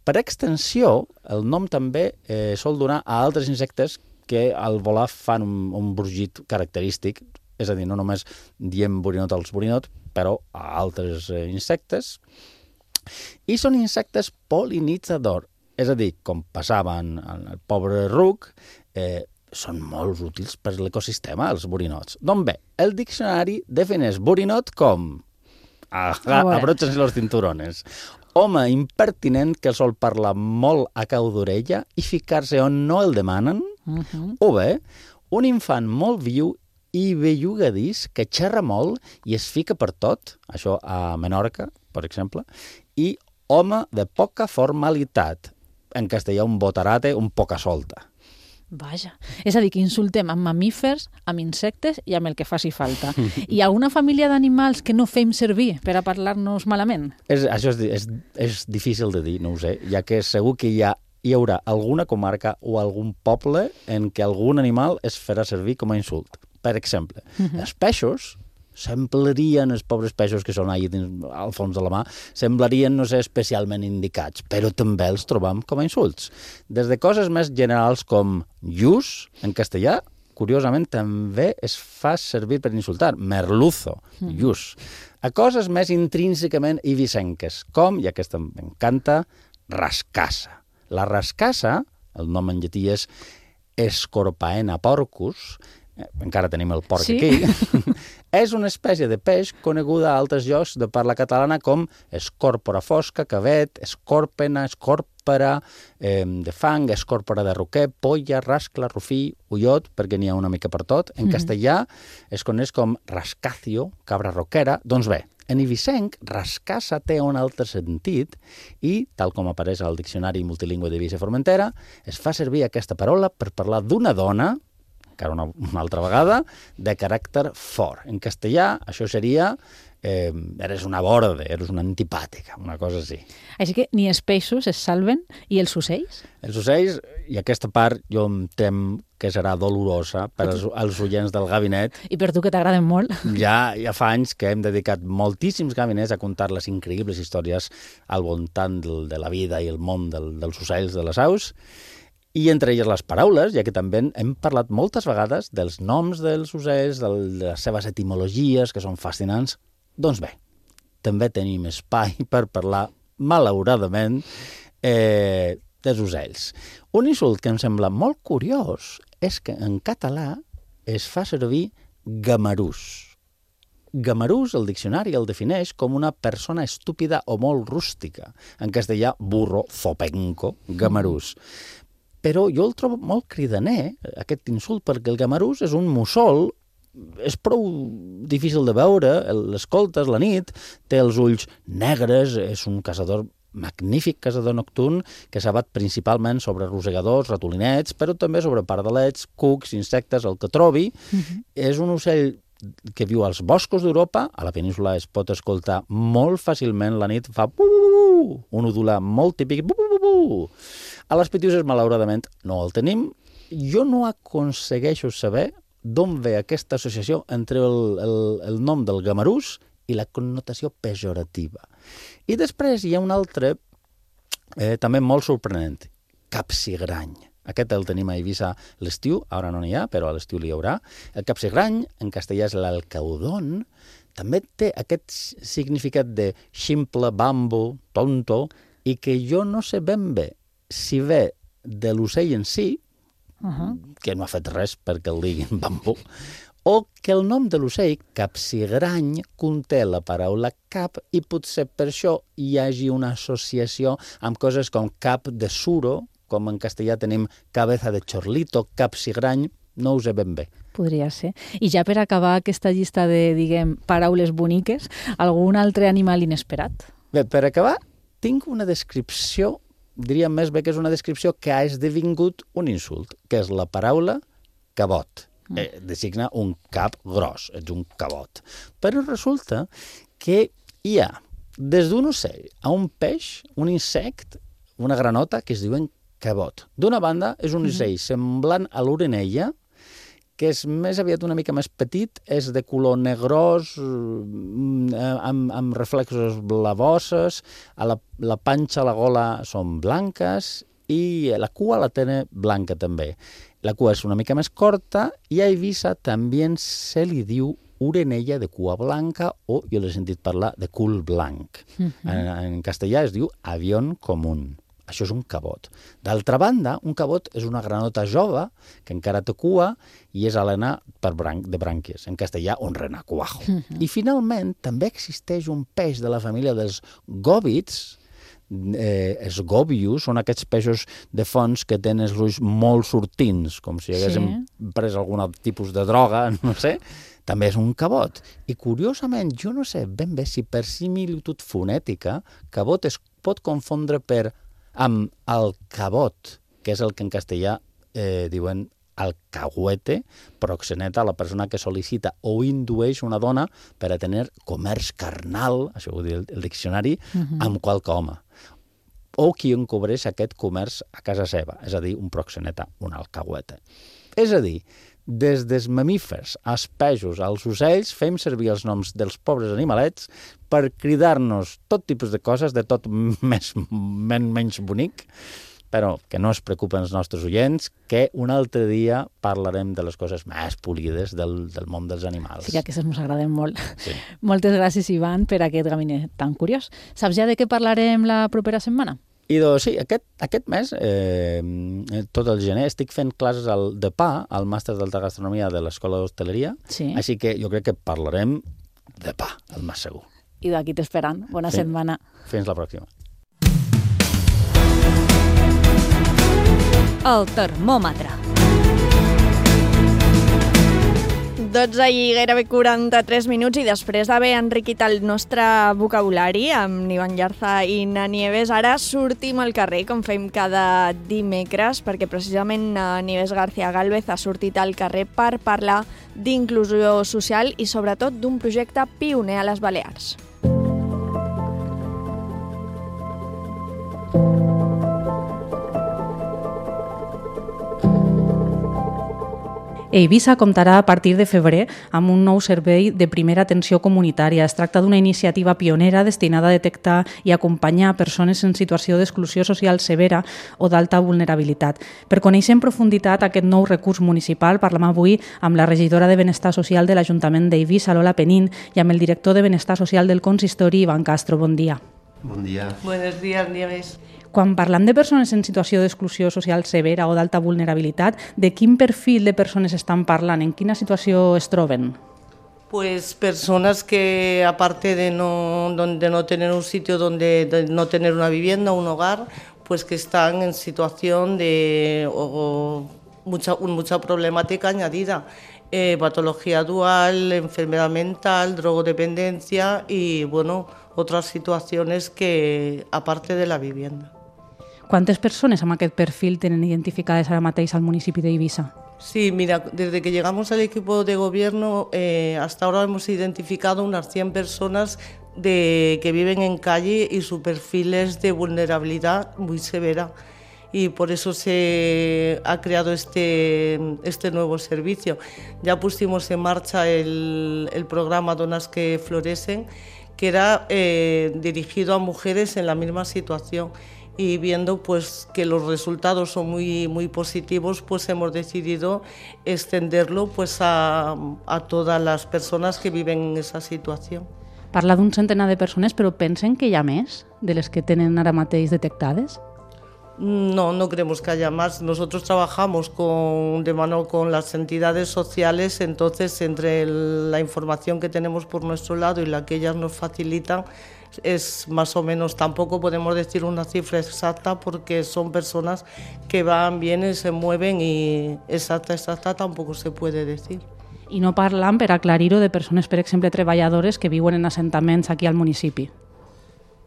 Per extensió, el nom també sol donar a altres insectes que al volar fan un brugit característic, és a dir, no només diem borinot als borinot, però a altres insectes. I són insectes pol·linitzadors, és a dir, com passava en el pobre ruc, són molt útils per l'ecosistema, els borinots. Doncs bé, el diccionari defineix borinot com abrochen los cinturones. Home impertinent que sol parlar molt a cau d'orella i ficar-se on no el demanen. O bé, un infant molt viu i bellugadís que xerra molt i es fica per tot, això a Menorca, per exemple, i home de poca formalitat. En castellà, un botarate, un poca solta. Vaja. És a dir, que insultem amb mamífers, amb insectes i amb el que faci falta. Hi ha una família d'animals que no fem servir per a parlar-nos malament? Això és difícil de dir, no ho sé, ja que segur que hi haurà alguna comarca o algun poble en què algun animal es farà servir com a insult. Per exemple, els peixos semblarien, els pobres peixos que són allà al fons de la mà, semblarien no ser especialment indicats, però també els trobam com a insults. Des de coses més generals com lluç, en castellà, curiosament també es fa servir per insultar, merluzo, lluç, a coses més intrínsecament ibicenques, com, i aquesta m'encanta, rascassa. La rascassa, el nom en llatí és Scorpaena porcus, encara tenim el porc aquí, és una espècie de peix coneguda a altres llocs de parla catalana com escòrpora fosca, cavet, escòrpena, escòrpera de fang, escòrpora de roquer, polla, rascla, rufí, ullot, perquè n'hi ha una mica per tot. En castellà es coneix com rascacio, cabra roquera. Doncs bé, en ibicenc, rascassa té un altre sentit i, tal com apareix al Diccionari Multilingüe d'Eivissa i Formentera, es fa servir aquesta paraula per parlar d'una dona, encara una altra vegada, de caràcter fort. En castellà, això seria eres una borde, eres una antipàtica, una cosa així. Així que ni els peixos es salven, i els ocells? Els ocells, i aquesta part jo em tem que serà dolorosa per als oients del gabinet. I per tu, que t'agraden molt. Ja fa anys que hem dedicat moltíssims gabinets a contar les increïbles històries al voltant de la vida i el món dels ocells, de les aus, I entre elles les paraules, ja que també hem parlat moltes vegades dels noms dels ocells, de les seves etimologies, que són fascinants. Doncs bé, també tenim espai per parlar, malauradament, dels ocells. Un insult que em sembla molt curiós és que en català es fa servir gamarús. Gamarús, el diccionari el defineix com una persona estúpida o molt rústica. En castellà, burro, zopenco, gamarús. Però jo el trobo molt cridaner, aquest insult, perquè el gamarús és un mussol, és prou difícil de veure, l'escoltes la nit, té els ulls negres, és un caçador magnífic caçador nocturn que s'abat principalment sobre rosegadors, ratolinets, però també sobre pardalets, cucs, insectes, el que trobi. És un ocell que viu als boscos d'Europa, a la península es pot escoltar molt fàcilment la nit, fa un udolar molt típic, A les Pitiuses, malauradament, no el tenim. Jo no aconsegueixo saber d'on ve aquesta associació entre el nom del gamarús i la connotació pejorativa. I després hi ha un altre, també molt sorprenent, capsigrany. Aquest el tenim a Eivissa l'estiu, ara no n'hi ha, però a l'estiu n'hi haurà. El capsigrany, en castellà és l'alcaudón, també té aquest significat de ximple, bambo, tonto, i que jo no sé ben bé si ve de l'ocell en si, que no ha fet res perquè el diguin bambo, o que el nom de l'ocell, capsigrany, conté la paraula cap i potser per això hi hagi una associació amb coses com cap de suro, com en castellà tenim cabeza de chorlito, capsigrany, no ho sé ben bé. Podria ser. I ja per acabar aquesta llista de, diguem, paraules boniques, algun altre animal inesperat? Bé, per acabar, tinc una descripció, diria més bé que és una descripció que ha esdevingut un insult, que és la paraula cabot. Designa un cap gros, ets un cabot. Però resulta que hi ha, des d'un ocell a un peix, un insecte, una granota, que es diuen cabot. D'una banda, és un ocell semblant a l'orenella, que és més aviat una mica més petit, és de color negrós, amb reflexos blavoses, la panxa, la gola són blanques i la cua la té blanca també. La cua és una mica més corta i a Eivissa també se li diu orenella de cua blanca o, jo l'he sentit parlar, de cul blanc. En castellà es diu avión común. Això és un cabot. D'altra banda, un cabot és una granota jove que encara té cua i és alena de brànquies. En castellà, un renacuajo. I finalment, també existeix un peix de la família dels gòvids, els gòbius, són aquests peixos de fons que tenen els ulls molt sortins, com si haguéssim pres algun tipus de droga, no sé. També és un cabot. I curiosament, jo no sé ben bé si per similitud fonètica, cabot es pot confondre amb alcabot, que és el que en castellà diuen alcahuete, proxeneta, la persona que sol·licita o indueix una dona per a tenir comerç carnal, això ho diu el diccionari, amb qualque home. O qui encobreix aquest comerç a casa seva, és a dir, un proxeneta, un alcahuete. És a dir, des dels mamífers als peixos, als ocells, fem servir els noms dels pobres animalets per cridar-nos tot tipus de coses, de tot menys bonic, però que no es preocupen els nostres oients, que un altre dia parlarem de les coses més polides del món dels animals. Sí, que aquestes ens agraden molt. Sí. Moltes gràcies, Ivan, per aquest gabinet tan curiós. Saps ja de què parlarem la propera setmana? I doncs sí, aquest mes, tot el gener, estic fent classes de pa al màster d'alta gastronomia de l'Escola d'Hostaleria, així que jo crec que parlarem de pa, el més segur. I d'aquí t'esperant. Bona setmana. Fins la pròxima. El termòmetre. 12 i gairebé 43 minuts i després d'haver enriquit el nostre vocabulari amb Ivan Llarza i na Nieves, ara sortim al carrer, com fem cada dimecres, perquè precisament Nieves García Gálvez ha sortit al carrer per parlar d'inclusió social i sobretot d'un projecte pioner a les Balears. Eivissa comptarà a partir de febrer amb un nou servei de primera atenció comunitària. Es tracta d'una iniciativa pionera destinada a detectar i acompanyar persones en situació d'exclusió social severa o d'alta vulnerabilitat. Per conèixer en profunditat aquest nou recurs municipal, parlem avui amb la regidora de Benestar Social de l'Ajuntament d'Eivissa, Lola Penín, i amb el director de Benestar Social del Consistori, Ivan Castro. Bon dia. Bon dia. Buenos días, un dia més. Quan parlem de persones en situació d'exclusió social severa o d'alta vulnerabilitat, de quin perfil de persones estan parlant? En quina situació es troben? Pues personas que, aparte de no tener un sitio de no tener una vivienda, un hogar, pues que están en situación de mucha problemática añadida. Patología dual, enfermedad mental, drogodependencia y, bueno, otras situaciones que, aparte de la vivienda. ¿Cuántas personas amb aquest perfil tenen identificades ara mateix al municipi d'Eivissa? Sí, mira, desde que llegamos al equipo de gobierno, hasta ahora hemos identificado unas 100 personas que viven en calle y su perfil es de vulnerabilidad muy severa. Y por eso se ha creado este nuevo servicio. Ya pusimos en marcha el programa Donas que Florecen, que era dirigido a mujeres en la misma situación. Y viendo pues que los resultados son muy positivos, pues hemos decidido extenderlo pues a todas las personas que viven en esa situación. Parla d'un centenar de persones, però pensen que hi ha més de les que tenen ara mateix detectades? No creemos que haya más. Nosotros trabajamos de mano con las entidades sociales, entonces entre la información que tenemos por nuestro lado y la que ellas nos facilitan, es más o menos, tampoco podemos decir una cifra exacta porque son personas que van, vienen, se mueven y exacta tampoco se puede decir. I no parlam, per aclarir-ho, de persones, per exemple, treballadores que viuen en assentaments aquí al municipi.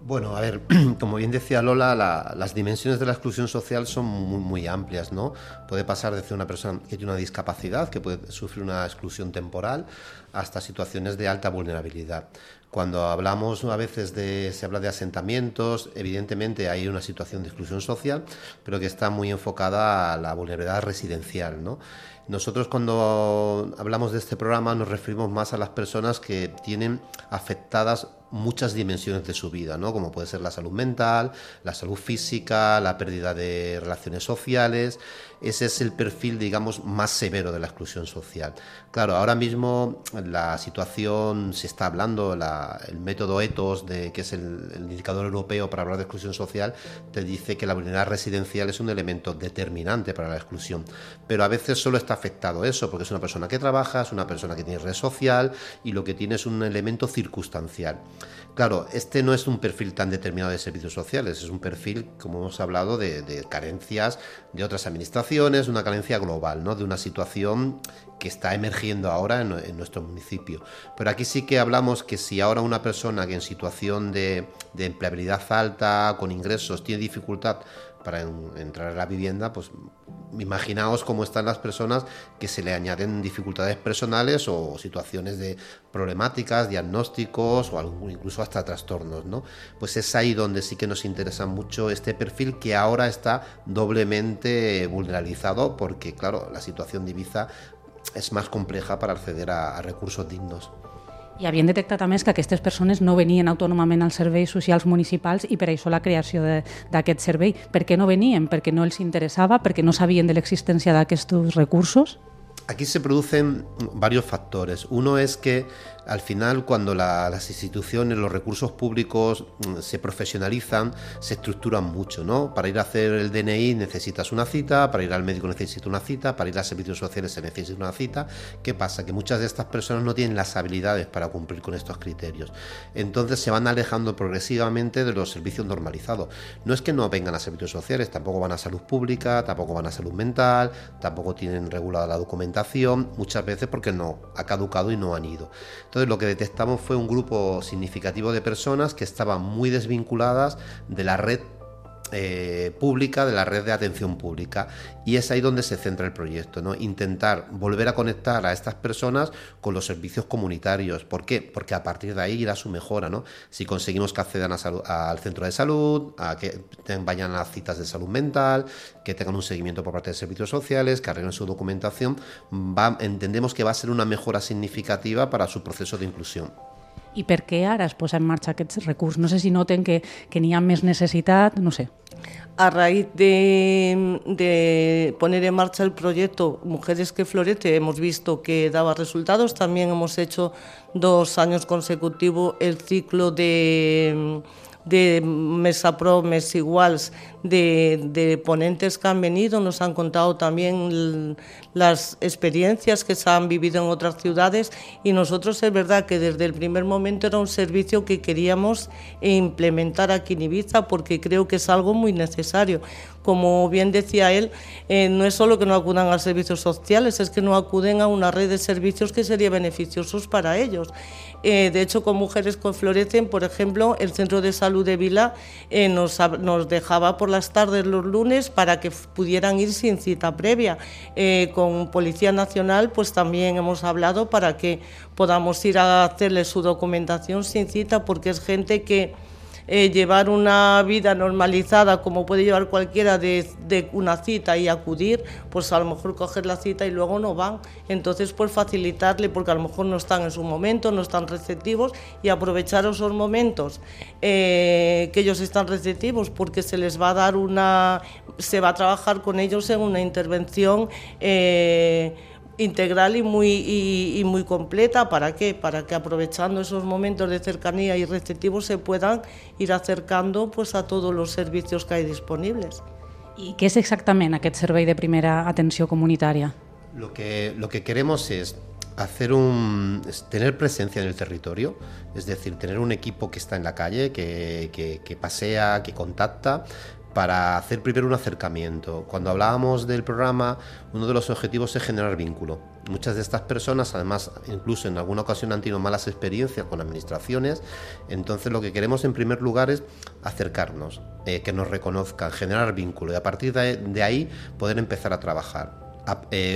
Bueno, a ver, como bien decía Lola, las dimensiones de la exclusión social son muy amplias, ¿no? Puede pasar desde una persona que tiene una discapacidad, que puede sufrir una exclusión temporal, hasta situaciones de alta vulnerabilidad. Cuando hablamos a veces se habla de asentamientos, evidentemente hay una situación de exclusión social, pero que está muy enfocada a la vulnerabilidad residencial, ¿no? Nosotros cuando hablamos de este programa nos referimos más a las personas que tienen afectadas muchas dimensiones de su vida, ¿no? Como puede ser la salud mental, la salud física, la pérdida de relaciones sociales. Ese es el perfil, digamos, más severo de la exclusión social. Claro, ahora mismo la situación, se está hablando, el método ETOS, que es el indicador europeo para hablar de exclusión social, te dice que la vulnerabilidad residencial es un elemento determinante para la exclusión. Pero a veces solo está afectado eso, porque es una persona que trabaja, es una persona que tiene red social y lo que tiene es un elemento circunstancial. Claro, este no es un perfil tan determinado de servicios sociales, es un perfil, como hemos hablado, de carencias de otras administraciones, una carencia global, ¿no? De una situación que está emergiendo ahora en nuestro municipio. Pero aquí sí que hablamos que si ahora una persona que en situación de empleabilidad alta, con ingresos, tiene dificultad para entrar a la vivienda, pues imaginaos cómo están las personas que se le añaden dificultades personales o situaciones de problemáticas, diagnósticos o incluso hasta trastornos, ¿no? Pues es ahí donde sí que nos interesa mucho este perfil que ahora está doblemente vulnerabilizado porque, claro, la situación de Eivissa es más compleja para acceder a recursos dignos. I havien detectat a més que aquestes persones no venien autònomament als serveis socials municipals i per això la creació d'aquest servei. Per què no venien? Perquè no els interessava? Perquè no sabien de l'existència d'aquests recursos? Aquí se producen varios factores. Uno es que al final cuando las instituciones, los recursos públicos se profesionalizan, se estructuran mucho, ¿no? Para ir a hacer el DNI necesitas una cita, para ir al médico necesitas una cita, para ir a servicios sociales se necesita una cita. ¿Qué pasa? Que muchas de estas personas no tienen las habilidades para cumplir con estos criterios. Entonces se van alejando progresivamente de los servicios normalizados. No es que no vengan a servicios sociales, tampoco van a salud pública, tampoco van a salud mental, tampoco tienen regulada la documentación, muchas veces porque no ha caducado y no han ido. Entonces lo que detectamos fue un grupo significativo de personas que estaban muy desvinculadas de la red pública, de la red de atención pública, y es ahí donde se centra el proyecto, ¿no? Intentar volver a conectar a estas personas con los servicios comunitarios. ¿Por qué? Porque a partir de ahí irá su mejora, ¿no? Si conseguimos que accedan al centro de salud, a que vayan a las citas de salud mental, que tengan un seguimiento por parte de servicios sociales, que arreglen su documentación, entendemos que va a ser una mejora significativa para su proceso de inclusión. I per què ara es posa en marxa aquest recurs? No sé si noten que n'hi ha més necessitat, no sé. A raíz de poner en marcha el proyecto Mujeres que Florece, hemos visto que daba resultados. También hemos hecho 2 años consecutivos el ciclo de Mesa Pro, Mes Iguals, de ponentes que han venido, nos han contado también las experiencias que se han vivido en otras ciudades, y nosotros es verdad que desde el primer momento era un servicio que queríamos implementar aquí en Ibiza, porque creo que es algo muy necesario. Como bien decía él, no es solo que no acudan a servicios sociales, es que no acuden a una red de servicios que sería beneficiosos para ellos. De hecho, con Mujeres que Florecen, por ejemplo, el Centro de Salud de Vila nos dejaba por las tardes los lunes para que pudieran ir sin cita previa. Con Policía Nacional pues también hemos hablado para que podamos ir a hacerle su documentación sin cita, porque es gente que llevar una vida normalizada como puede llevar cualquiera de una cita y acudir, pues a lo mejor coger la cita y luego no van. Entonces pues facilitarle, porque a lo mejor no están en su momento, no están receptivos, y aprovechar esos momentos que ellos están receptivos, porque se les va a dar se va a trabajar con ellos en una intervención integral y muy completa. ¿Para qué? Para que aprovechando esos momentos de cercanía y receptivos se puedan ir acercando pues a todos los servicios que hay disponibles. I què és exactament aquest servei de primera atenció comunitària? Lo que queremos es tener presencia en el territorio, es decir, tener un equipo que está en la calle, que pasea, que contacta, para hacer primero un acercamiento. Cuando hablábamos del programa, uno de los objetivos es generar vínculo. Muchas de estas personas, además, incluso en alguna ocasión han tenido malas experiencias con administraciones, entonces lo que queremos en primer lugar es acercarnos, que nos reconozcan, generar vínculo, y a partir de ahí poder empezar a trabajar.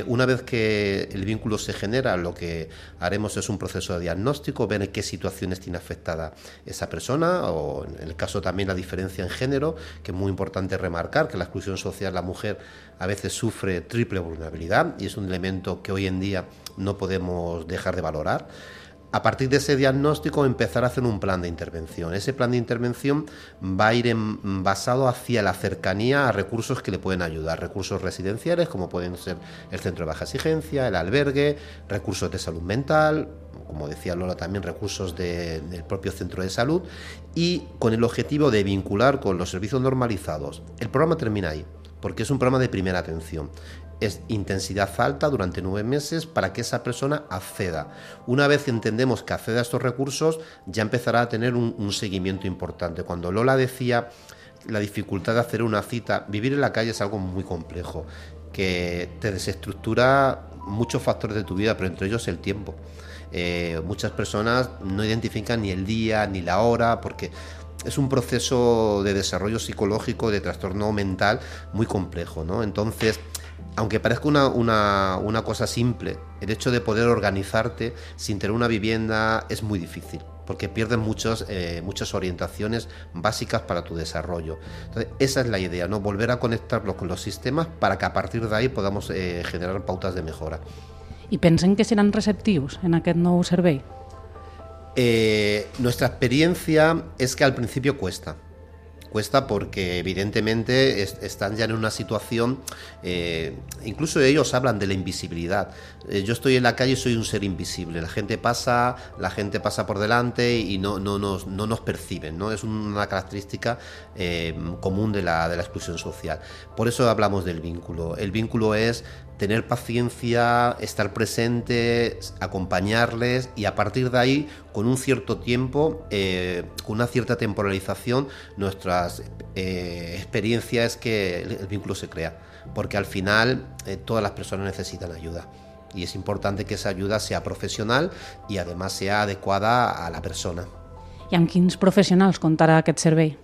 Una vez que el vínculo se genera, lo que haremos es un proceso de diagnóstico, ver en qué situaciones tiene afectada esa persona, o en el caso también la diferencia en género, que es muy importante remarcar que la exclusión social, la mujer a veces sufre triple vulnerabilidad, y es un elemento que hoy en día no podemos dejar de valorar. A partir de ese diagnóstico empezar a hacer un plan de intervención. Ese plan de intervención va a ir basado hacia la cercanía a recursos que le pueden ayudar, recursos residenciales como pueden ser el centro de baja exigencia, el albergue, recursos de salud mental, como decía Lola también recursos del propio centro de salud, y con el objetivo de vincular con los servicios normalizados. El programa termina ahí, porque es un programa de primera atención. Es intensidad alta durante 9 meses para que esa persona acceda. Una vez entendemos que acceda a estos recursos, ya empezará a tener un seguimiento importante. Cuando Lola decía la dificultad de hacer una cita, vivir en la calle es algo muy complejo, que te desestructura muchos factores de tu vida, pero entre ellos el tiempo. Muchas personas no identifican ni el día ni la hora, porque es un proceso de desarrollo psicológico, de trastorno mental muy complejo, ¿no? Entonces, aunque parezca una cosa simple, el hecho de poder organizarte sin tener una vivienda es muy difícil, porque pierdes muchas orientaciones básicas para tu desarrollo. Entonces, esa es la idea, ¿no? Volver a conectarlos con los sistemas para que a partir de ahí podamos generar pautas de mejora. I pensen que seran receptius en aquest nou servei? Nuestra experiencia es que al principio cuesta porque evidentemente están ya en una situación, incluso ellos hablan de la invisibilidad. Yo estoy en la calle y soy un ser invisible, la gente pasa por delante y no nos perciben, ¿no? Es una característica común de la exclusión social. Por eso hablamos del vínculo. El vínculo es tener paciencia, estar presente, acompañarles, y a partir de ahí, con un cierto tiempo, con una cierta temporalización, nuestra experiencia es que el vínculo se crea, porque al final todas las personas necesitan ayuda, y es importante que esa ayuda sea profesional y además sea adecuada a la persona. I amb quins professionals comptarà aquest servei?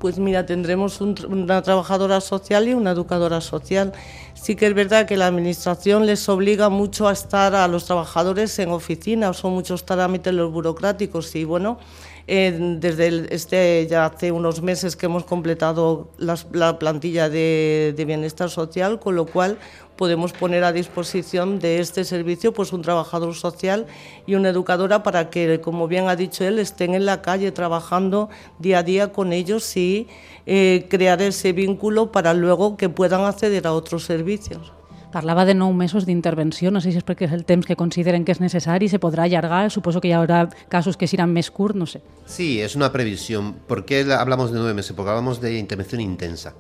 pues mira, tendremos una trabajadora social y una educadora social. Sí que es verdad que la administración les obliga mucho a estar a los trabajadores en oficina, son muchos trámites los burocráticos y bueno, desde ya hace unos meses que hemos completado la plantilla de bienestar social, con lo cual podemos poner a disposición de este servicio pues un trabajador social y una educadora para que, como bien ha dicho él, estén en la calle trabajando día a día con ellos y crear ese vínculo para luego que puedan acceder a otros servicios. Parlava de 9 mesos d'intervenció, no sé si és perquè és el temps que consideren que és necessari, se podrà allargar, suposo que hi haurà casos que seran més curts, no sé. Sí, es una previsión. ¿Por qué hablamos de 9 meses? Porque hablamos de intervención intensa.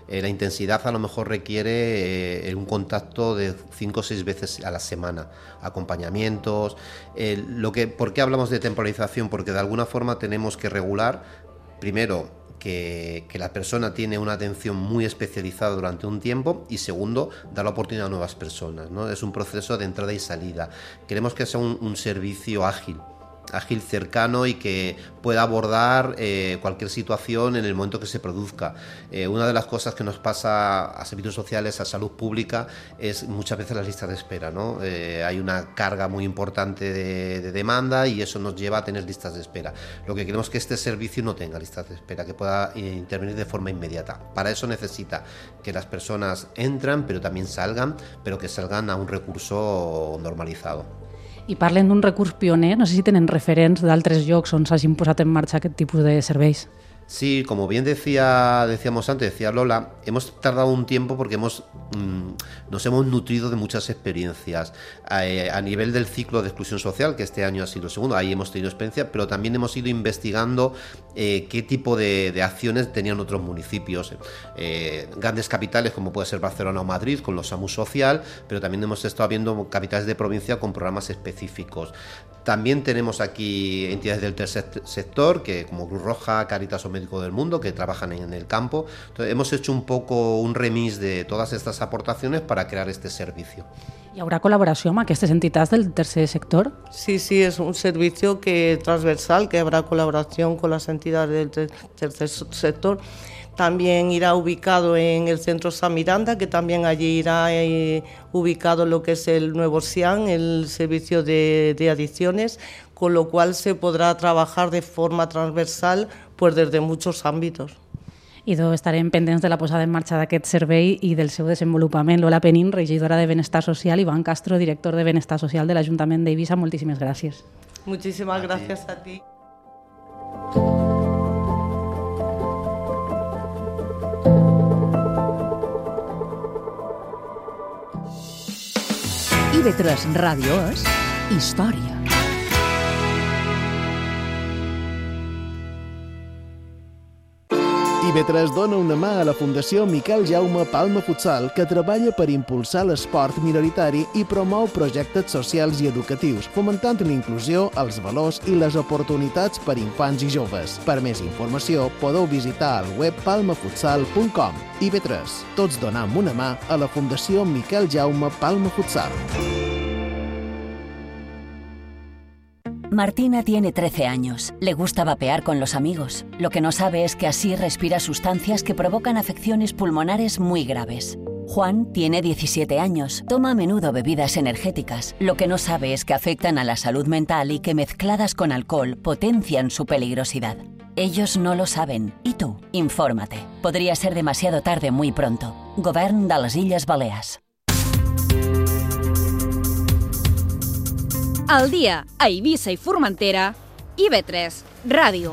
La intensidad a lo mejor requiere un contacto de 5 o 6 veces a la semana, acompañamientos. ¿Por qué hablamos de temporalización? Porque de alguna forma tenemos que regular, primero, que la persona tiene una atención muy especializada durante un tiempo y segundo, dar la oportunidad a nuevas personas, ¿no? Es un proceso de entrada y salida. Queremos que sea un servicio ágil, cercano y que pueda abordar cualquier situación en el momento que se produzca. Una de las cosas que nos pasa a servicios sociales, a salud pública, es muchas veces las listas de espera, ¿no? Hay una carga muy importante de demanda y eso nos lleva a tener listas de espera. Lo que queremos es que este servicio no tenga listas de espera, que pueda intervenir de forma inmediata. Para eso necesita que las personas entran, pero también salgan, pero que salgan a un recurso normalizado. I parlen d'un recurs pioner, no sé si tenen referents d'altres llocs on s'hagin posat en marxa aquest tipus de serveis. Sí, como bien decíamos antes, decía Lola, hemos tardado un tiempo porque nos hemos nutrido de muchas experiencias a nivel del ciclo de exclusión social, que este año ha sido el segundo, ahí hemos tenido experiencia, pero también hemos ido investigando qué tipo de acciones tenían otros municipios, grandes capitales como puede ser Barcelona o Madrid con los SAMU Social, pero también hemos estado viendo capitales de provincia con programas específicos. También tenemos aquí entidades del tercer sector, que como Cruz Roja, Cáritas o Médico del Mundo, que trabajan en el campo. Entonces, hemos hecho un poco un remix de todas estas aportaciones para crear este servicio. Hi haurà col·laboració amb aquestes entitats del tercer sector? Sí, es un servicio transversal, que habrá colaboración con las entidades del tercer sector. También irá ubicado en el centro San Miranda, que también allí irá ubicado lo que es el nuevo SIAN, el servicio de adicciones, con lo cual se podrá trabajar de forma transversal pues desde muchos ámbitos. I estarem pendents de la posada en marxa d'aquest servei i del seu desenvolupament. Lola Penín, regidora de Benestar Social, Iván Castro, director de Benestar Social de l'Ajuntament d'Eivissa, moltíssimes gràcies. Muchísimas gracias a ti. IB3 Ràdio és història. IB3 dona una mà a la Fundació Miquel Jaume Palma Futsal, que treballa per impulsar l'esport minoritari i promou projectes socials i educatius, fomentant la inclusió, els valors i les oportunitats per infants i joves. Per més informació, podeu visitar el web palmafutsal.com. IB3, tots donam una mà a la Fundació Miquel Jaume Palma Futsal. Martina tiene 13 años. Le gusta vapear con los amigos. Lo que no sabe es que así respira sustancias que provocan afecciones pulmonares muy graves. Juan tiene 17 años. Toma a menudo bebidas energéticas. Lo que no sabe es que afectan a la salud mental y que mezcladas con alcohol potencian su peligrosidad. Ellos no lo saben. ¿Y tú? Infórmate. Podría ser demasiado tarde muy pronto. Govern de les Illes Balears. Al dia a Eivissa i Formentera, IB3 Ràdio.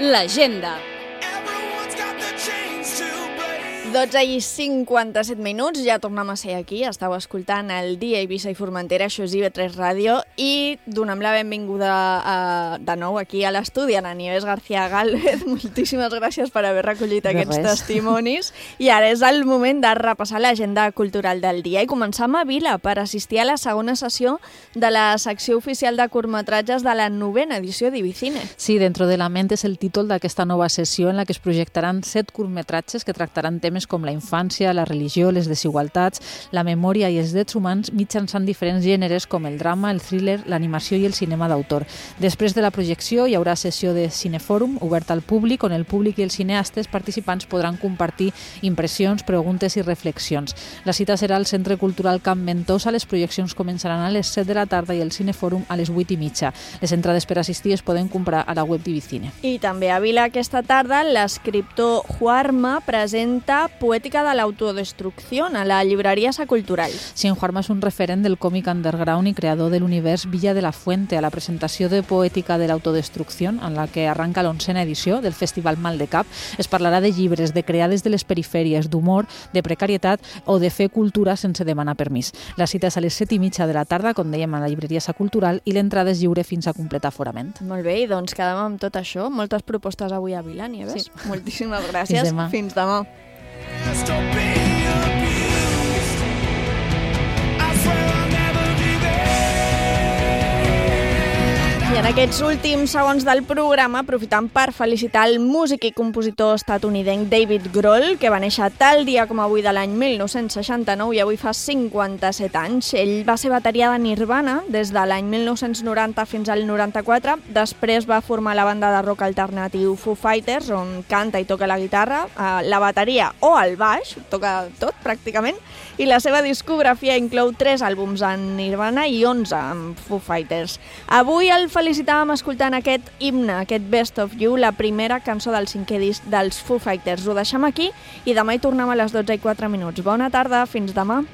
L'agenda. 12:57, ja tornem a ser aquí. Estàu escoltant el Dia Eivissa i Formentera, això és IB3 Ràdio, i donem la benvinguda de nou aquí a l'estudi a Nieves García Gálvez. Moltíssimes gràcies per haver recollit aquests testimonis. I ara és el moment de repassar l'agenda cultural del dia i començar a Vila per assistir a la segona sessió de la secció oficial de curtmetratges de la 9ª edició d'Ibicine. Sí, Dentro de la ment és el títol d'aquesta nova sessió en la que es projectaran 7 curtmetratges que tractaran temes com la infància, la religió, les desigualtats, la memòria i els drets humans mitjançant diferents gèneres com el drama, el thriller, l'animació i el cinema d'autor. Després de la projecció hi haurà sessió de cinefòrum oberta al públic on el públic i els cineastes participants podran compartir impressions, preguntes i reflexions. La cita serà al Centre Cultural Camp Ventosa. Les projeccions començaran a les 7 de la tarda i el cinefòrum a les 8:30. Les entrades per assistir es poden comprar a la web d'Ibicine. I també a Vila aquesta tarda l'escriptor Juarma presenta Poètica de l'autodestrucció a la llibreria Sa Cultural. Sí, en Juarma és un referent del còmic underground i creador de l'univers Villa de la Fuente. A la presentació de Poètica de l'autodestrucció, en la que arranca l'11ª edició del Festival Maldecap, es parlarà de llibres, de creades de les perifèries, d'humor, de precarietat o de fer cultura sense demanar permís. La cita és a les 7:30 de la tarda, com dèiem, a la llibreria Sa Cultural, i l'entrada és lliure fins a completar aforament. Molt bé, i doncs quedem amb tot això. Moltes propostes avui a Vila, Nieves. Sí. Moltíssimes gràcies. Fins demà. I en aquests últims segons del programa, aprofitant per felicitar el músic i compositor estatunidenc David Grohl, que va néixer tal dia com avui de l'any 1969 i avui fa 57 anys. Ell va ser bateria de Nirvana des de l'any 1990 fins al 94. Després va formar la banda de rock alternatiu Foo Fighters, on canta i toca la guitarra, la bateria o el baix, toca tot pràcticament, i la seva discografia inclou 3 àlbums en Nirvana i 11 amb Foo Fighters. Avui el felicitàvem escoltant aquest himne, aquest Best of You, la primera cançó del 5è disc dels Foo Fighters. Ho deixem aquí i demà hi tornem a les 12:04. Bona tarda, fins demà.